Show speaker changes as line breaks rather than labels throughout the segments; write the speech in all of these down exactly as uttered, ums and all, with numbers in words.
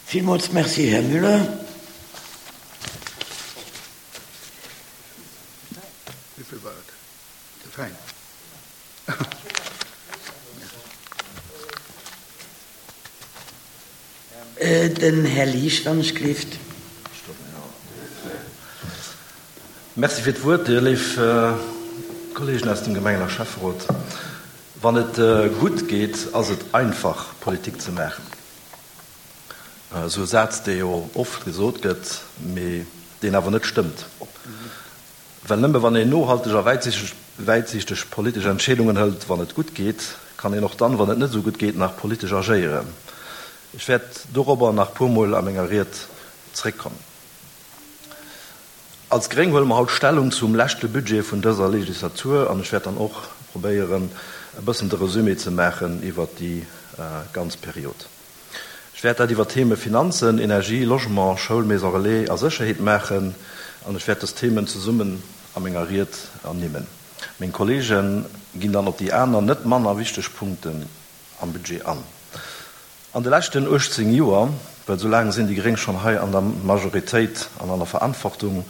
Villmools Merci, Här Müller.
Wéi vill war et? Ze fäin.
Den Här Liesch, wann ech gleeft.
Merci fir d'Wuert, Dir léif Kolleegen aus dem Gemengen a Schäfferot. Wann et gutt geet, ass et einfach, Politik ze maachen. Esou e Saz, dee jo oft gesot gëtt, mee deen awer net stëmmt. Well nëmme wann een nohalteg a wäitsiichteg politesch Entscheedungen hëlt, wann et gutt geet, kann een och dann, wann et net esou gutt geet, nach politesch agéieren. Ech wäert dorobber nach puer Mol a menger Ried zréckkommen. Als Gréng huele mer haut Stellung zum leschte Budget vun dëser Legislatur an ech wäert dann och probéieren, e bëssen de Resumé ze maachen iwwert déi ganz Period. Ech wäert dat iwwer d'Theme Finanzen, Energie, Logement, Schoul, Maison relais a Sécherheet maachen an ech wäert dës Themen zesummen a menger Ried ernimmen. Meng Kolleege ginn dann op déi aner, net manner wichteg Punkten am Budget an. An de leschten uechtzéng Joer, well esou laang sinn déi Gréng schonn hei an der Majoritéit an an der Verantwortung,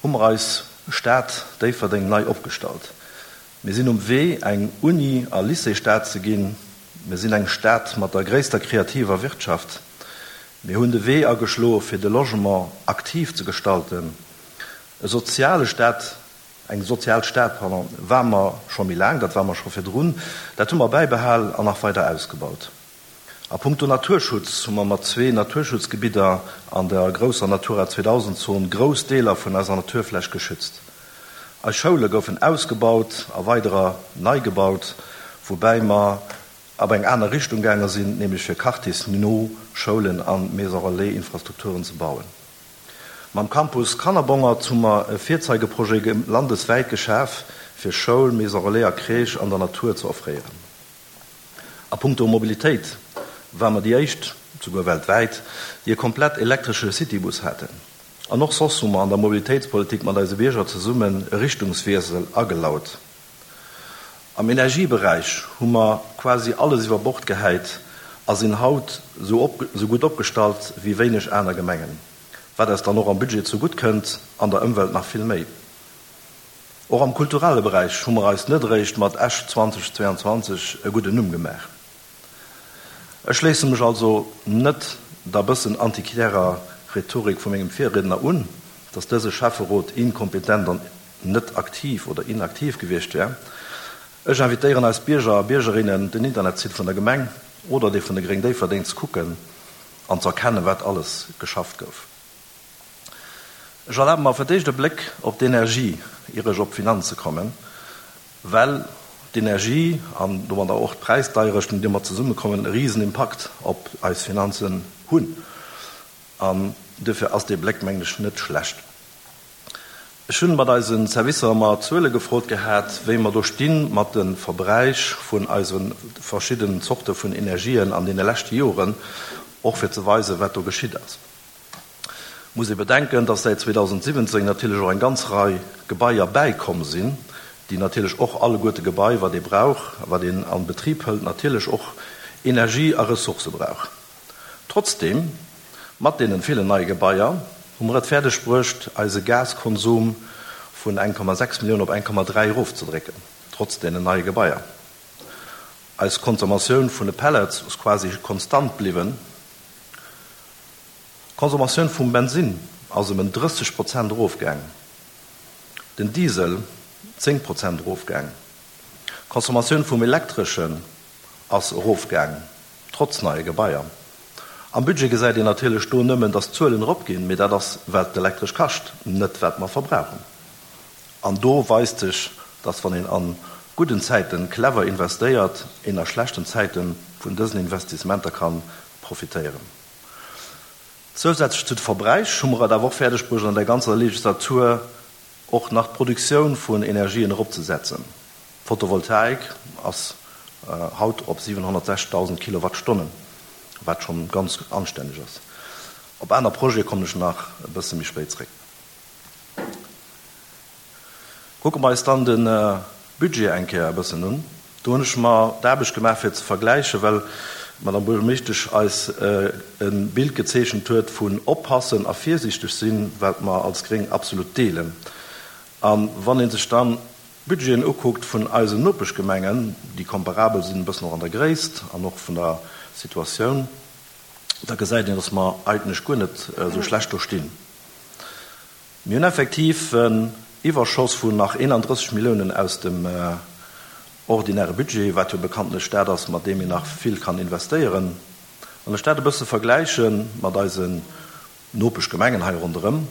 hu mer eis Stad Déifferdeng nei opgestallt. Mir sinn um Wee, eng Uni a Lycéesstad ze ginn. Mir sinn eng Stad mat der gréisster kreativer Wirtschaft. Mir hunn de Wee ageschloe fir de Logement aktiv ze gestalten. E soziale Staat, eng sozial Stad, pardon, war mer scho méi laang, dat war mer scho virdrun. Dat hu mer bäibehal an nach weider ausgebaut. A punkto Naturschutz hu mer mat zwee Naturschutzgebidder an der grousser Natura zweedausend Zon grouss Deeler vun eiser Naturfläch geschützt. Eis Schoule goufen ausgebaut a weiderer nei gebaut, woubäi mer ab eng aner Richtung gaange sinn, nämlech fir quartiersno Schoulen a Maison-relais-Infrastrukturen ze bauen. Mam Campus Kannerbongert hu mer e Virzeigeprojet landeswäit geschaf, fir Schoul, Maison relais a Crèche an der Natur ze offréieren. A punkto Mobilitéit war mer déi éischt, souguer weltwäit, déi e komplett elektresche Citybus haten. An och soss hu mer an der Mobilitéitspolitik mat eise Bierger zesummen e Richtungswiessel agelaut. Am Energieberäich hu mer quasi alles iwwer Bord gehäit a sinn haut esou gutt opgestallt wéi wéineg aner Gemengen, wat eis dann och am Budget zegutt kënnt, an der Ëmwelt nach vill méi. Och am kulturelle Beräich hu mer eis net eréischt mat Esch zweitausendzweiundzwanzeg e gudden Numm gemaach. Ech schléisse mech also net der bëssen antiquärer Rhetorik vu mengem Virriedner un, dass dëse Schäfferot inkompetent an net aktiv oder inaktiv gewiescht wär. Ech invitéieren eis Bierger a Biergerinnen, den Internetsite vun der Gemeng oder dee vun de Gréng Déifferdeng ze kucken an ze erkennen, wat alles geschafft gouf. Ech erlabe mer fir d'éischt e Bléck op d'Energie, ier ech op d'Finanze kommen, well d'Energie an domadder och d'Präisdeierechten, déi domat zesummekommen, e Risenimpakt op eis Finanzen hunn. An duerfir ass dee Bléck, mengen ech, net schlecht. Ech hunn mat eise Servicer mer Zuele gefrot gehat, wéi mer do sti mat de Verbräich vun eise verschiddenen Zorte vun Energien an deene leschte Joren, och fir ze weisen, wat do geschitt ass. Muss ee bedenken, dass säit zweedausendsiwwenzéng natierlech och eng ganz Rei Gebaier bäikomm sinn, déi natierlech och alleguerte Gebai, wat ee brauch, wat een an Betrib hëlt, natierlech och Energie a Ressourcë brauch. Trotzdeem, mat deenen villen neie Gebaier, hu mer et fäerdeg bruecht, eise Gaskonsum vun eng Komma sechs Millioun op eng Komma dräi erofzedrécken, trotz deenen neie Gebaier. Eis Consommatioun vun de Pellets ass quasi konstant bliwwen. D'Consommatioun vum Bensinn ass ëm en drësseg Prozent erofgaangen, den Diesel zéng Prozent erofgaangen. D'Consommatioun vum Elektreschen ass erofgaangen, trotz neie Gebaier. Am Budget gesäit een natierlech do nëmmen, dass d'Zuelen eropginn, mee dat ass, wat d'Elektresch kascht, net wat mer verbrauchen. An do weist sech, dass wann een a gudden Zäiten clever investéiert, een a schlechten Zäite vun dësen Investissementer ka profitéieren. Zousätzlech zu de Verbräich hu mer et awer och fäerdeg bruecht, an der ganzer Legislatur och nach d'Produktioun vun Energien eropzesetzen. D'Photovoltaik ass haut op siwenhonnertsechzigtausend Kilowattstonnen, wat schonn ganz anstänneg ass. Op aner Projete kommen ech nach e bësse méi spéit zréck. Kucke mer eis dann de Budget eng Kéier e bëssen un. Do hunn ech mer d'Aarbecht gemaach fir ze vergläichen, well d'Madame Buergermeeschtesch eis e Bild gezeechent huet vun oppassen a virsiichteg sinn, wat mer als Gréng absolut deelen. A wann ee sech dann d'Budgeten ukuckt vun eisen Nopeschgemengen, déi komparabel sinn, e bëssen och an der Gréisst an och vun der Situatioun, da gesäit een, dass mer eigentlech guer net esou schlecht do stinn. Mir hunn effektiv en Iwwerschoss vun nach eenandrësseg Milliounen aus dem ordinäre Budget, wat jo bekanntlech dat ass, mat deem een nach vill kann investéieren. Wann ech dat e bësse vergläiche mat eisen Nopeschgemengen hei ronderëm,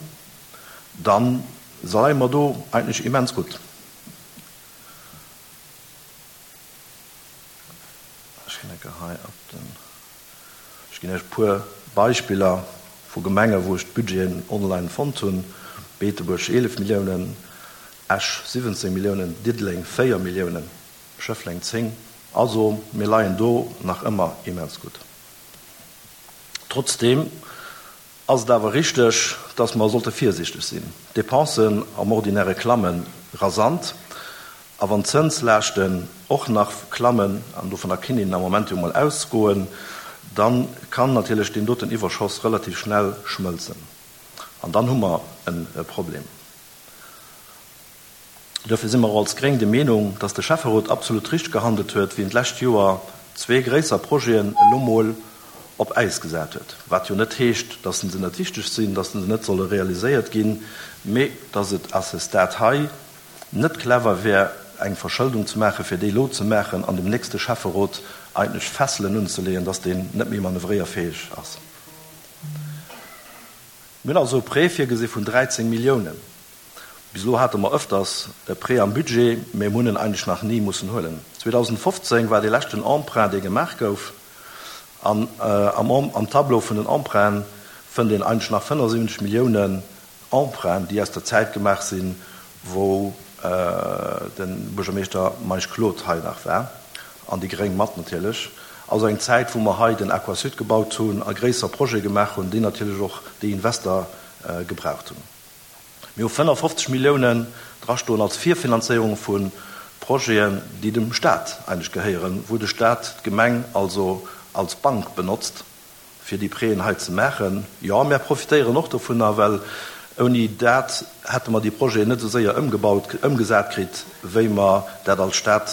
da leie mer do eigentlech immens gutt. Ech ginn enke hei op den, ech ginn Iech e puer Beispiller vu Gemengen, wou ech d'Budgeten online fonnt hunn, Beetebuerg eelef Milliounen, Esch siwwenzéng Milliounen, Diddeleng véier Milliounen, Schëffleng zéng. Also mir leien do nach ëmmer immens gutt. Trotzdeem ass et awer richteg, dass mer sollte virsiichteg sinn. D'Depensen am Ordinäre klamme rasant a wann d'Zënslaaschten och nach klammen, an dovunner kinn een am Moment jo mol ausgoen, da kann natierlech deen doten Iwwerschoss relativ schnell schmëlzen. An dann hu mer e Problem. Duerfir si mer och als Gréng de Meenung, dass de Schäfferot absolut richteg gehandelt huet, wéi en d'lescht Joer zwee gréisser Projeten elo mol op Äis gesat huet. Wat jo net heescht, dass se net wichteg sinn, dass se net solle realiséiert ginn, mee dass et à ce stade hei net clever wär, eng Verschëldung ze maachen, fir déi elo ze maachen an dem nächste Schäfferot eigentlech Fesselen unzeleeën, dass deen net méi manövréierfäeg ass. Mir hunn also e Prêt virgesi vun dräizéng Milliounen. Bis elo hate mer ëfters e Prêt am Budget, mä mir hunn en eigentlech nach ni mussen huelen. zweedausendfofzéng war dee leschten Emprunt, dee gemaach gouf. An am Tableau vun den Emprunten fënnt een eigentlech nach fënnefundsiwwenzeg Milliounen Emprunten, déi aus der Zäit gemaach sinn, wou de Buergermeeschter Meisch Claude hei nach war, an déi Gréng mat natierlech. Also eng Zäit, wou mer hei den Aquasud gebaut hunn a gréisser Projete gemaach hunn, déi natierlech och déi Invester gebraucht hunn. Mir hu fënnefundfofzeg Milliounen drastoen als Virfinanzéierung vu Projeten, déi dem Staat eigentlech gehéieren, wou de Staat d'Gemeng also als Bank benotzt, fir déi Prêten hei ze maachen. Jo, mär profitéieren och dovunner, well ouni dat hätte mer déi Projeten net esou séier ëmgebaut, ëmgesat kritt, wéi mer dat als Stad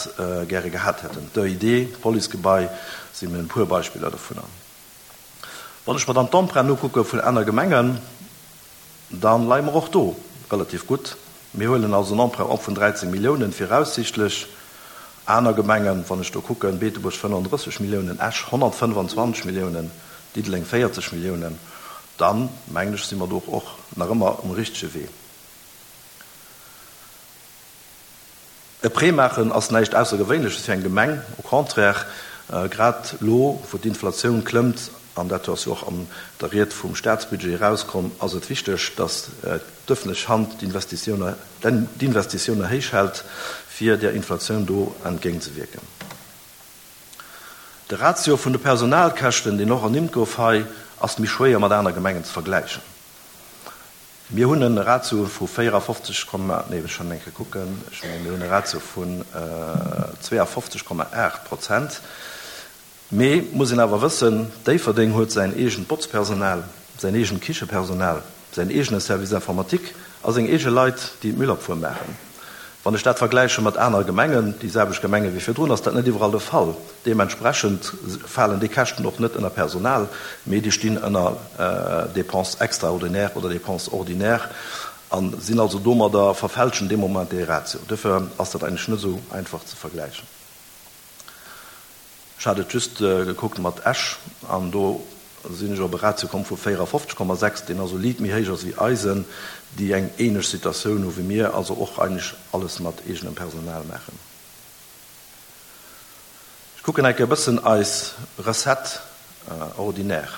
gäre gehat hätten. D'E I D, d'Policegebai sinn e puer Beispiller dovunner. Wann ech mer dann d'Emprunten ukucke vun aner Gemengen, da leie mer och do relativ gutt. Mir huelen also en Emprunt op vun dräizéng Milliounen viraussichtlech. Aner Gemengen, wann ech do kucken, Beetebuerg fënnefundrësseg Milliounen, Esch honnertfënnefanzwanzeg Milliounen, Diddeleng véierzeg Milliounen, dann, mengen ech, si mer do och nach ëmmer um richtege Wee. E Prêt maachen ass näischt Aussergewéinleches fir eng Gemeng, au contraire, grad elo, wou d'Inflatioun klëmmt, an dat ass jo och an der Ried vum Staatsbudget erauskomm, ass et wichteg, datt d'ëffentlech Hand d'Investitioune héich hält, fir där Inflatioun do entgéintzewierken. De Ratio vun de Personalkäschten, deen och ernimmt gouf hei, ass méi schwéier mat aner Gemengen ze vergläichen. Mir hunn e Ratio vu véierafofzeg Komma, nee, ech schonn eng Kéier kucken, ech mengen, mir hunn e Ratio vun zweeafofzeg Komma aacht Prozent. Mee muss een awer wëssen, Déifferdeng huet säin eegent Botzpersonal, säin eegent Kichepersonal, säin eegene Service informatique a seng eege Leit, déi d'Müllabfuhr maachen. Wann ech dat vergläiche mat anere Gemengen, déi selwecht Gemenge wéi virdrun, ass dat net iwwerall de Fall. Deementsprechend falen déi Käschten och net ënner Personal, mee déi stinn ënner Dépenses extraordinaires oder Dépenses ordinaires a sinn also domadder verfälschen dee Moment dee Ratio. Duerfir ass dat eigentlech net esou einfach ze vergläichen. Ech hat et just gekuckt mat Esch an do sinn ech op e Ratio komm vu véierafofzeg Komma sechs, deen also liit méi héich ass wéi eisen, déi eng ähnlech Situatioun hu wéi mir, also och eigentlech alles mat eegenem Personal maachen. Ech kucken enke e bëssen eis Recette ordinaire,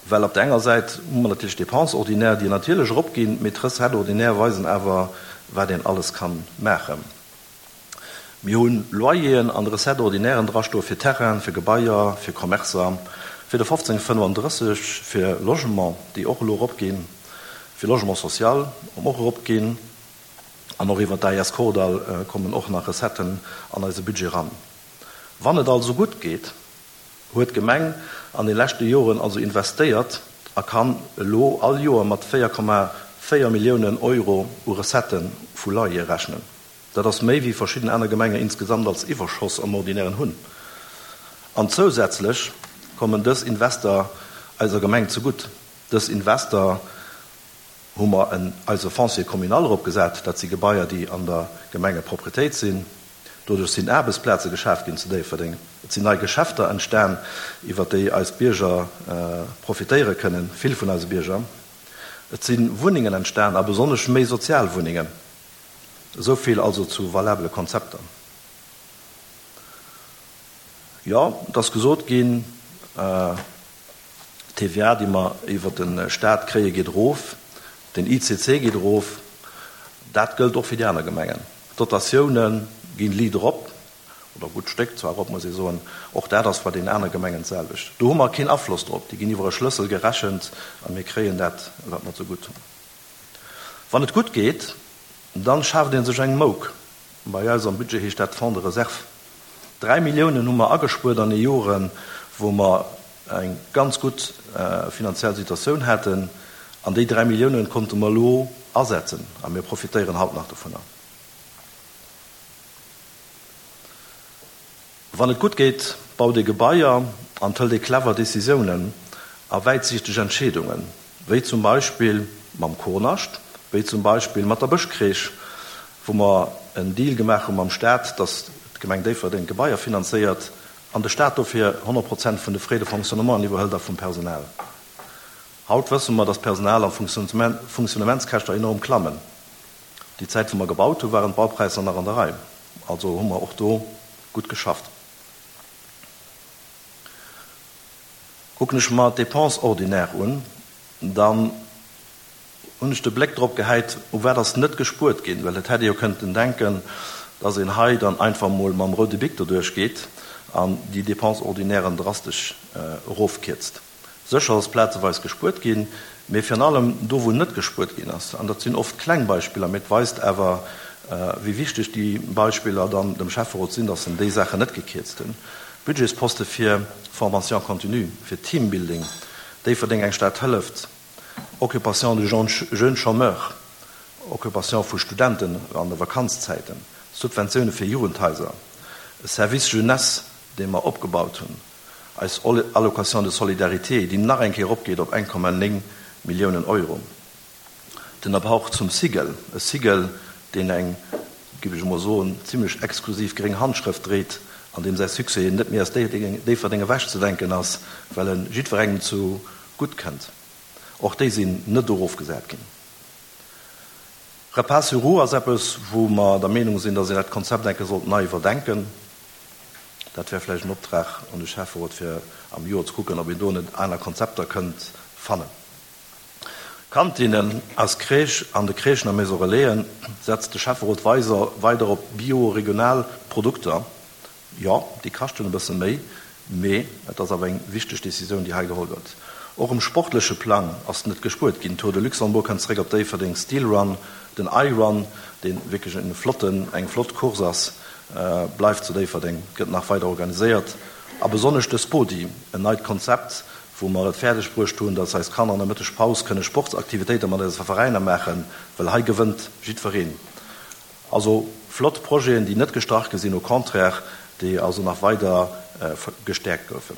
well op der enger Säit hu mer natierlech Dépenses ordinaires, déi natierlech eropginn, mee d'Recette ordinaire weisen awer, wat een alles kann maachen. Mir hunn Loyeren an Recettes ordinairen drastoe fir Terrainen, fir Gebaier, fir Commercer, fir de fofzéng fënnefundrësseg, fir Logement, déi och elo eropginn, fir Logement social och eropginn, an och iwwer d'A I S Kordall kommen och nach Recetten an eise Budget ran. Wann et also gutt geet, huet d'Gemeng an de leschte Joren also investéiert a kann elo all Joer mat véier Komma véier Milliounen Euro u Recettë vu Loyer rechnen. Dat ass méi wéi verschidden aner Gemenge insgesamt als Iwwerschoss am Ordinären hunn. An zousätzlech kommen dës Invester eiser Gemeng zegutt. Dës Invester hu mer en eise Foncier communal eropgesat, dat si Gebaier, déi an der Gemengeproprietéit sinn. Doduerch sinn Aarbechtsplaze geschaf ginn zu Déifferdeng. Et sinn nei Geschäfter entstan, iwwer déi eis Bierger profitéiere kënnen, vill vun eise Bierger. Et si Wunnengen entstan, a besonnesch méi sozial Wunnengen. Esou vill also zu valabele Konzepter. Jo, et ass gesot ginn, d'T V A, déi mer iwwer de Staat kréie, geet erof, den I C C geet erof. Dat gëllt och fir déi aner Gemengen. D'Dotatioune ginn liit erop, oder gutt Stéck zwar erop, muss ee soen. Och dat ass bei den aner Gemengen d'selwecht. Do hu mer keen Afloss drop. Déi ginn iwwer e Schlëssel gerechent a mir kréien dat, wat mer zegutt hunn. Wann et gutt geet, dann schaaft ee sech eng Mouk. Bei eis am Budget heescht dat Fonds de réserve. Dräi Milliounen hu mer agespuert an de Joren, wou mer eng ganz gutt finanziell Situatioun haten, an déi dräi Milliounen konnte mer elo asetzen a mir profitéieren haut nach dovunner. Wann et gutt geet, baut ee Gebaier an hëlt ee clever Decisiounen a wäitsiichteg Entscheedungen, wéi zum Beispill mam Kornascht, wéi zum Beispill mat der Bëschcrèche, wou mer en Deal gemaach hu mam Staat, datt d'Gemeng Déifferdeng d'Gebaier finanzéiert an de Staat dofir honnert Prozent vun de Frais de fonctionnement iwwerhëlt a vum Personal. Haut wësse mer, datt d'Personal a Funktionnementskäschter enorm klammen. Déi Zäit, wou mer gebaut hu, waren d'Baupräisser nach an der Rei. Also hu mer och do gutt geschafft. Kucken ech mer d'Dépenses ordinaires un, dann hunn ech de Bléck drop gehäit, u wat ass net gespuert ginn, well et hätt ee jo kënnten denken, dass een hei dann einfach mol mam roude Bic doduerch geet an déi Dépenses ordinairen drastesch erofkierzt. Sécher ass plazeweis gespuert ginn, mee virun allem do, wou net gespuert ginn ass, an dat sinn oft kleng Beispiller, mee et weist awer, wéi wichteg déi Beispiller dann dem Schäfferot sinn, dass en déi Saachen net gekierzt hunn, Budgetsposte fir Formation continue, fir Teambuilding, Déifferdeng eng Stad hëlleft, Occupation de jeunes chômeurs, Occupation vu Studenten an de Vakanzzäiten, Subventioune fir Jugendhaiser, e Service jeunesse, dee mer opgebaut hunn, eis Allocation de solidarité, déi nach eng Kéier eropgeet op eng Komma néng Milliounen Euro, den Apport zum Cigel, e Cigel, deen eng, géif ech emol soen, zimlech exklusiv gréng Handschrëft dréit an deem säi Succès net méi aus Déifferdeng ewechzedenken ass, well e jiddwerengem zu gutt kënnt. Och déi sinn net erofgesat ginn. Repas sur roues ass eppes, wou mer der Meenung sinn, datt een dat Konzept eng Kéier sollt nei iwwerdenken. Dat wär vläicht en Optrag un de Schäfferot, fir am Joer ze kucken, ob een do net aner Konzepter kënnt fannen. Kantinnen aus Crèche An de Crèchen a Maison Relaisen setzt de Schäfferot weider op bio-regional Produkter. Jo, déi kaschten e bësse méi, mee et ass awer eng wichteg Decisioun, déi hei geholl gëtt. Och um sportleche Plang ass net gespuert ginn. Tour de Luxembourg kënnt zeréck op Déifferdeng, Steel Run, den I-Run, dee wierklech en flotten, eng flott Course ass, bleift zu Déifferdeng, gëtt nach weider organiséiert. A besonnesch de Spodi, en neit Konzept, wou mer et fäerdeg bruecht hunn, dass eis Kanner an der Mëttegpaus kënne Sportsaktivitéite mat eise Veräiner maachen, well hei gewënnt jiddwereen. Also flott Projeten, déi net gestrach gi sinn, au contraire, déi also nach weider gestäerkt goufen.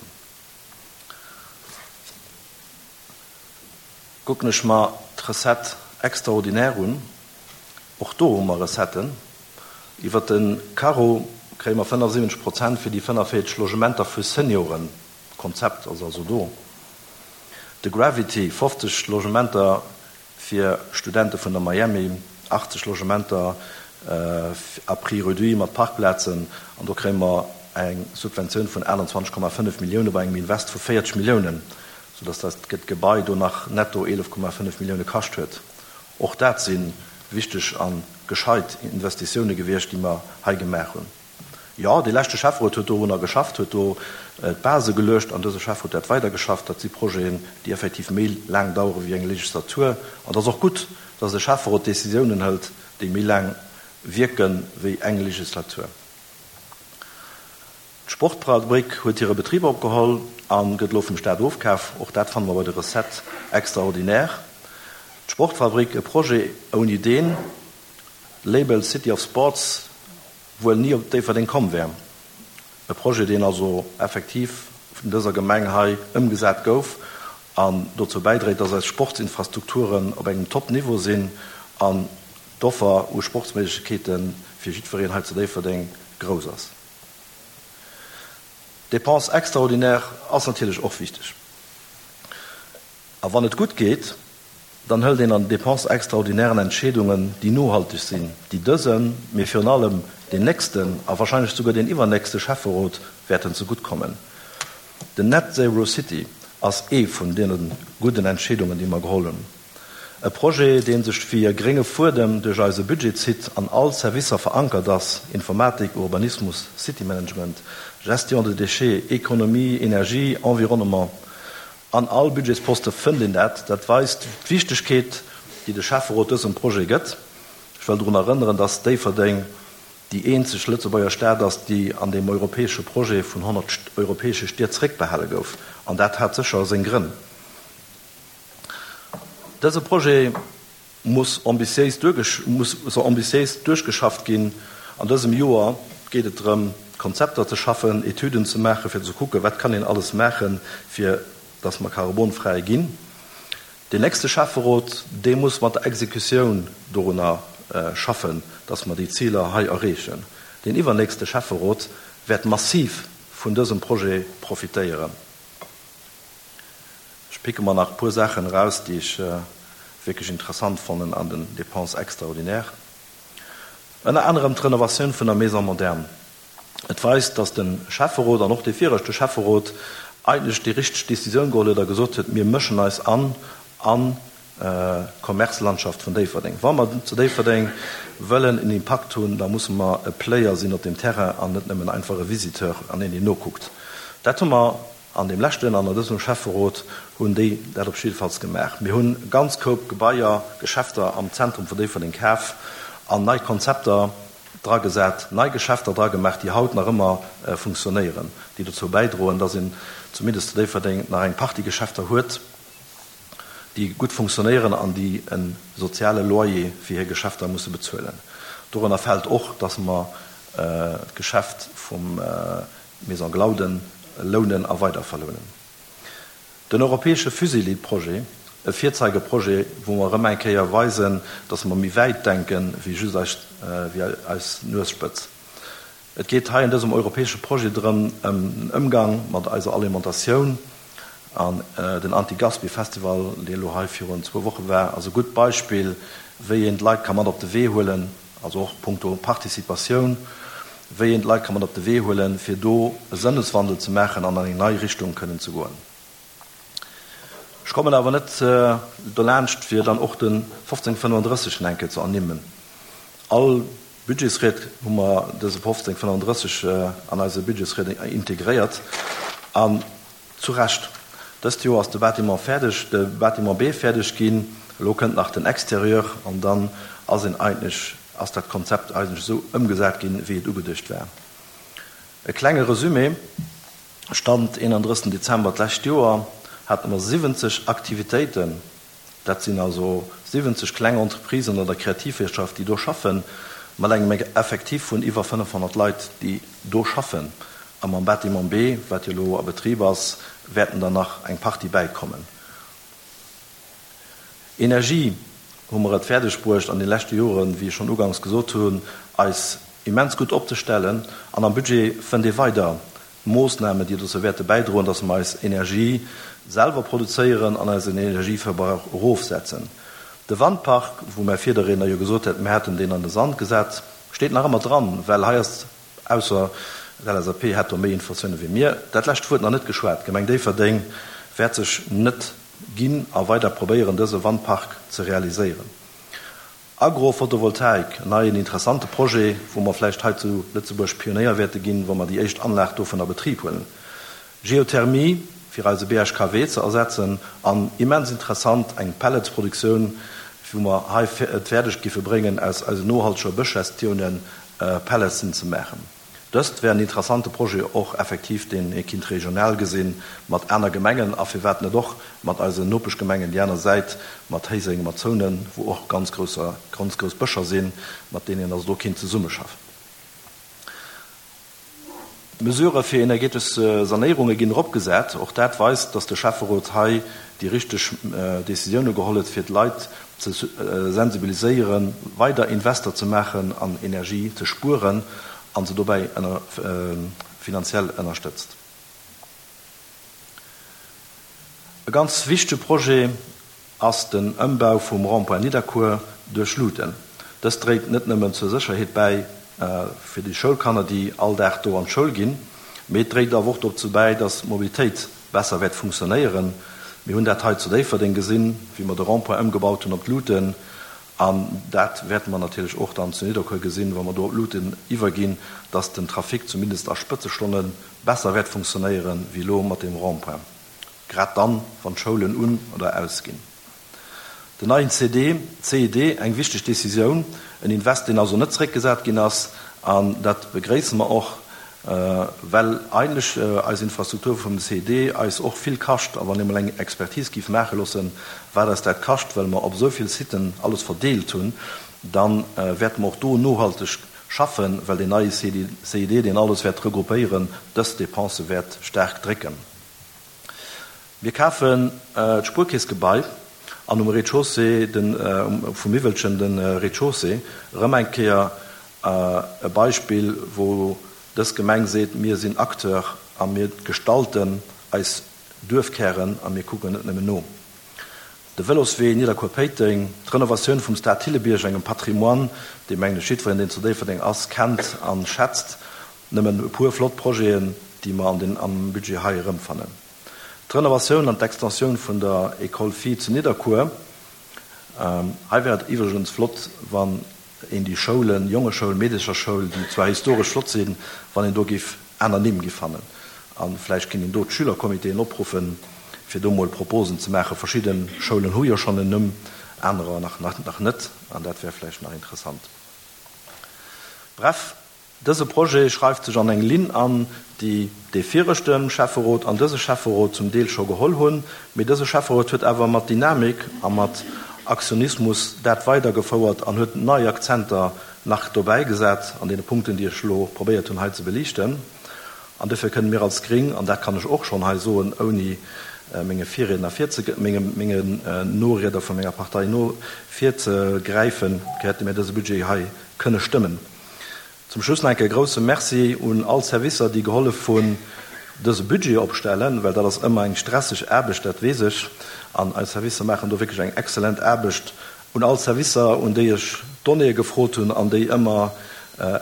Kucken ech mer d'Recettes extraordinaires un, och do hu mer Recetten. Iwwer de Carreau kréie mer fënnefosiwwenzeg Prozent fir déi fënnefenvéierzeg Logementer vu Senioren. D'Konzept ass also do. De Gravity, fofzeg Logementer fir Studente vun der Miami, achtzeg Logementer à prix réduit mat Parkplazen, an do kréie mer eng Subventioun vun aachtenzwanzeg Komma fënnef Millioune bei engem Invest vu véierzeg Milliounen, soudass dat Gebai do nach netto eelef Komma fënnef Millioune kascht huet. Och dat si wichteg a gescheit Investitioune gewiescht, déi mer hei gemaach hunn. Jo, dee leschte Schäfferot huet dorunner geschafft, huet do d'Base geluecht an dëse Schäfferot huet dat weidergeschafft. Dat si Projeten, déi effektiv méi laang dauere wéi eng Legislatur. An et ass och gutt, dass e Schäfferot Decisiounen hëlt, déi méi laang wierke wéi eng Legislatur. D'Sportfabrik huet hire Betrib opgeholl a gëtt elo vum Staat ofkaf. Och dat fanne mer bei de Recettes extraordinaires. D'Sportfabrik, e Projet, ouni deen Label City of Sports wuel ni op Déifferdeng komm wär. E Projet, deen also effektiv vun dëser Gemeng hei ëmgesat gouf an dozou bäidréit, dass eis Sportsinfrastrukturen op engem Top-Niveau sinn an d'Offer u Sportsméiglechkeete fir jiddwereen hei zu Déifferdeng grouss ass. Dépense extraordinaire ass natierlech och wichteg. A wann et gutt geet, dann hëlt een an den Dépenses extraordinairen Entscheedungen, déi nohalteg sinn, déi dësem, mee virun allem deen nächsten a wahrscheinlech souguer deen iwwernächste Schäfferot wäerten zegutt kommen. Den Net Zero City ass ee vun deene gudden Entscheedungen, déi mer geholl hunn. E Projet, dee sech wéi e grénge Fuedem duerch eise Budget zitt, an all Servicer verankert ass, Informatik, Urbanismus, City-Management, Gestion de déchets, Économie, Energie, Environnement. An all Budgetsposte fënnt een dat. Dat weist d'Wichtegkeet, déi de Schäfferot dësem Projet gëtt. Ech wëll drun erënneren, dass Déifferdeng déi eenzeg Lëtzebuerger Stad ass, déi an deem europäesche Projet vun honnert europäesche Stied zréckbehale gouf. An dat hat sécher seng Grënn. Dëse Projet muss ambitiéis muss duerchgeschafft ginn. An dësem Joer geet et drëm, Konzepter ze schaffen, Etüden ze maachen, fir ze kucken, wat kann een alles maachen, fir dass mer karbonfräi ginn. Deen nächste Schäfferot, dee muss mat der Exekutioun dorunner schaffen, dass mer déi Ziler hei erreechen. Deen iwwernächste Schäfferot wäert massiv vun dësem Projet profitéieren. Ech picke mer nach e puer Saachen eraus, déi ech wierklech interessant fannen an den Dépenses extraordinaires. Ënner anerem d'Renovatioun vun der Maison moderne. Et weist, dass de Schäfferot an och dee viregte Schäfferot eigentlech déi richteg Decisioun geholl huet a gesot huet, mir mëschen eis an an d'Commercelandschaft vun Déifferdeng. Wa mer zu Déifferdeng wëllen en Impakt hunn, da musse mer e Player sinn op deem Terrain an net nëmmen einfach e Visiteur an een, deen nokuckt. Dat hu mer an deem leschten an an dësem Schäfferot hunn déi dat op jiddefalls gemaach. Mir hunn e ganz Koup Gebaier, Geschäfter am Zentrum vun Déifferdeng kaf an nei Konzepter dragesat, nei Geschäfter dragemaach, déi haut nach ëmmer funktionéieren, déi dozou bäidroen, dass een zumindest zu Déifferdeng nach eng Partie Geschäfter huet, déi gutt funktionéieren an déi e soziale Loyer fir hir Geschäfter musse bezuelen. Dorënner fält och, dass mer d'Geschäft vum Maison Glauden lounen a weider verlounen. Den europäesche Fusilli-Projet, e Virzeigeprojet, wou mer erëm eng Kéier weisen, dass mer méi wäit denke wéi just eis, wéi eis Nuesspëtz. Et geet hei an dësem europäesche Projet drëm, ëm den Ëmgang mat eiser Alimentatioun. An den Anti-Gaspi-Festival, dee elo hei virun zwou Woche war, ass e gutt Beispill, wéi een d'Leit ka mat op de Wee huelen, also och punkto Participatioun, wéi een d'Leit ka mat op de Wee huelen, fir do e Sënneswandel ze maachen an an eng nei Richtung kënnen ze goen. Ech kommen awer net dolaanscht, fir dann och de fofzéng fënnefandrësseg eng Kéier ze ernimmen. All Budgetsried hu mer dëse fofzéng fënnefandrësseg an eise Budgetsried integréiert, an zu Recht. Dëst Joer ass de Bâtiment fäerdeg, de Bâtiment B fäerdeg ginn, elo kënnt nach den Exterieur an dann ass een eigentlech, ass dat Konzept eigentlech esou ëmgesat ginn, wéi et ugeduecht war. E klenge Resumé, Stand eenandrëssigsten Dezember d'lescht Joer hate mer siwwenzeg Aktivitéiten, dat sinn also siwwenzeg kleng Entreprisen an der Kreativwirtschaft, déi do schaffen, mat engem Effectif vun iwwer fënnefhonnert Leit, déi do schaffen. A mam Bâtiment B, wat jo elo a Betrib ass, wäerten der nach eng Partie bäikommen. Energie hu mer et fäerdeg bruecht an de leschte Joren, wéi ech schonn uganks gesot hunn, eis immens gutt opzestellen. An am Budget fënnt ee weider Moossnamen, déi dozou wäerte bäidroen, dass mer eis Energie selwer produzéieren an eisen Energieverbrauch erofsetzen. De Wandpark, wou mäi Virderriedner jo gesot huet, mir hätten deen an de Sand gesat, steet nach ëmmer dran, well hei ass, ausser d'L S A P hätt do méi Informatioune wéi mir, dat lescht Wuert nach net geschwat. D'Gemeng Déifferdeng wäert sech net ginn a weider probéieren, dëse Wandpark ze realiséieren. Agrophotovoltaik, en neien interessante Projet, wou mer vläicht hei zu Lëtzebuerg Pionéier wäerte ginn, wa mer déi éischt Anlag dovun a Betrib huelen. Geothermie, fir eise B H K W ze ersetzen, an immens interessant, eng Pelletsproduktioun, wou mer hei et fäerdeg giffe bréngen, aus eisen nohalteger Bëschgestioune Pelletsen ze maachen. Dëst wär en interessante Projet och effektiv, deen ee kinnt regional gesinn, mat aner Gemengen a firwat net och mat eisen Nopeschgemengen déi aner Säit, mat Héiseng, mat Zounen, wou och ganz grousser, ganz grouss Bëscher sinn, mat deenen een also do kinnt zesummeschaffen. D'Mesurë fir energetesch Sanéierunge ginn eropgesat. Och dat weist, dass de Schäfferot hei déi richteg Decisioune geholl huet, fir d'Leit ze sensibiliséieren, weider Invester ze maachen an Energie ze spueren a se dobäi finanziell ënnerstëtzt. E ganz wichtege Projet ass den Ëmbau vum Rond-point Nidderkuer duerch Luuten. Dëst dréit net nëmmen zur Sécherheet bäi fir déi Schoulkanner, déi all Dag do an d'Schoul ginn, mee et dréit awer och dozou bäi, dass d'Mobilitéit besser wäert funktionéieren. Mir hunn dat hei zu Déifferdeng gesinn, wéi mer de Rond-point ëmgebaut hunn op d'Luuten. An dat wäerte mer natierlech och dann zu Nidderkuer gesinn, wa mer do op d'Luuten iwwerginn, dass den Trafic zumindest a Spëtzestonne besser wäert funktionéieren, wéi elo mat deem Rond-point, grad dann, wann d'Schoulen un oder ausginn. Den neien C D, C I D, eng wichteg Decisioun, en Invest, deen also net zeréckgesat ginn ass, an dat begréisse mer och, well eigentlech eis Infrastruktur vum C I D eis och vill kascht, a wann ee mol eng Expertise géif maache loossen, wat eis dat kascht, well mer op esou vill Siten alles verdeelt hunn, da wäerte mer och do nohalteg schaffen, well deen neie C I D, deen alles wäert regroupéieren, dës Depensë wäert staark drécken. Mir kafen d'Spuerkeessgebai an um Rez-de-chaussée vum Miwwelchen de Rez-de-chaussée. Erëm eng Kéier e Beispill, wou dës Gemeng seet, mir sinn Acteur a mir gestalten eis Duerfkären a mir kucken net nëmmen no. De Vëloswee Nidderkuer-Péiteng, d'Renovatioun vum Stade Thillebierg, engem Patrimoine, dee mengen ech jiddwereen, deen zu Déifferdeng ass, kennt a schätzt. Nëmmen e puer flott Projeten, déi mer an den am Budget hei erëmfannen. D'Renovatioun an d'Extensioun vun der École Filles zu Nidderkuer. Hei wär et iwwregens flott, wann een déi Schoulen, Jongeschoul, Meedecherschoul, déi zwar historesch flott sinn, wann een do géif aner Nimm gi fannen. A vläicht kéint een do d'Schülercomitéen opruffen, fir do mol Proposen ze maachen. Verschidde Schoulen hu jo schonn en Numm, anerer nach nach net, an dat wär vläicht nach interessant. Bref, dëse Projet schreift sech an eng Linn an, déi dee viregte Schäfferot an dëse Schäfferot zum Deel scho geholl hunn. Mee dëse Schäfferot huet awer mat Dynamik a mat Aktionismus dat weidergefouert an huet nei Akzenter nach dobäi gesat an deene Punkten, déi ech elo probéiert hunn hei ze beliichten. An dofir kënnen mir als Gring, an dat kann ech och schonn hei soen, ouni menge Virriedner virze, menge, mengen Norieder vu menger Partei no virzegräifen, wäerte mir dëse Budget hei kënne stëmmen. Zum Schluss nach eng Kéier e grouse Merci un all Servicer, déi gehollef hunn, dëse Budget opstellen, well dat ass ëmmer eng stresseg Aarbecht, dat weess ech, an eis Servicer maachen do wierklech eng exzellent Aarbecht. Un all Servicer, un déi ech Donnéeë gefrot hunn an déi ëmmer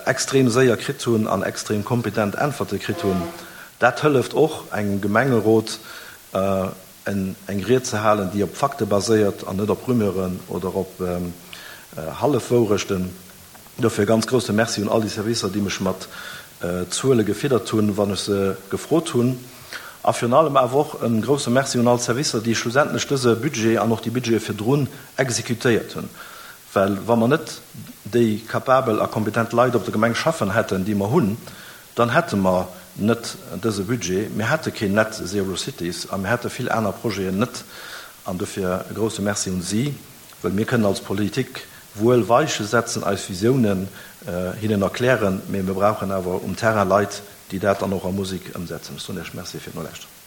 extrem séier kritt hunn an extrem kompetent Äntwerte kritt hunn. Dat hëlleft och engem Gemengerot, eng Ried ze halen, déi op Fakte baséiert an net op Rumeuren oder op Hallefwourechten. Dofir e ganz grousse Merci un all déi Servicer, déi mech mat Zuele gefiddert hunn, wann ech se gefrot hunn. A virun allem awer och e grousse Merci un all d'Servicer, déi schlussendlech dëse Budget an och déi Budgete virdrun exekutéiert hunn. Well wa mer net déi kapabel a kompetent Leit op der Gemeng schaffen hätten, déi mer hunn, dann hätte mer net dëse Budget, mir hätte keen Net Zero Cities a mir hätte vill aner Projeten net. An dofir e grousse Merci un si, well mir kënnen als Politik wuel Weiche setzen, eis Visiounen hinnen erklären, mee mir brauchen awer um Terrain Leit, déi dat dann och a Musek ëmsetzen. Ech soen Iech Merci fir d'Nolauschteren.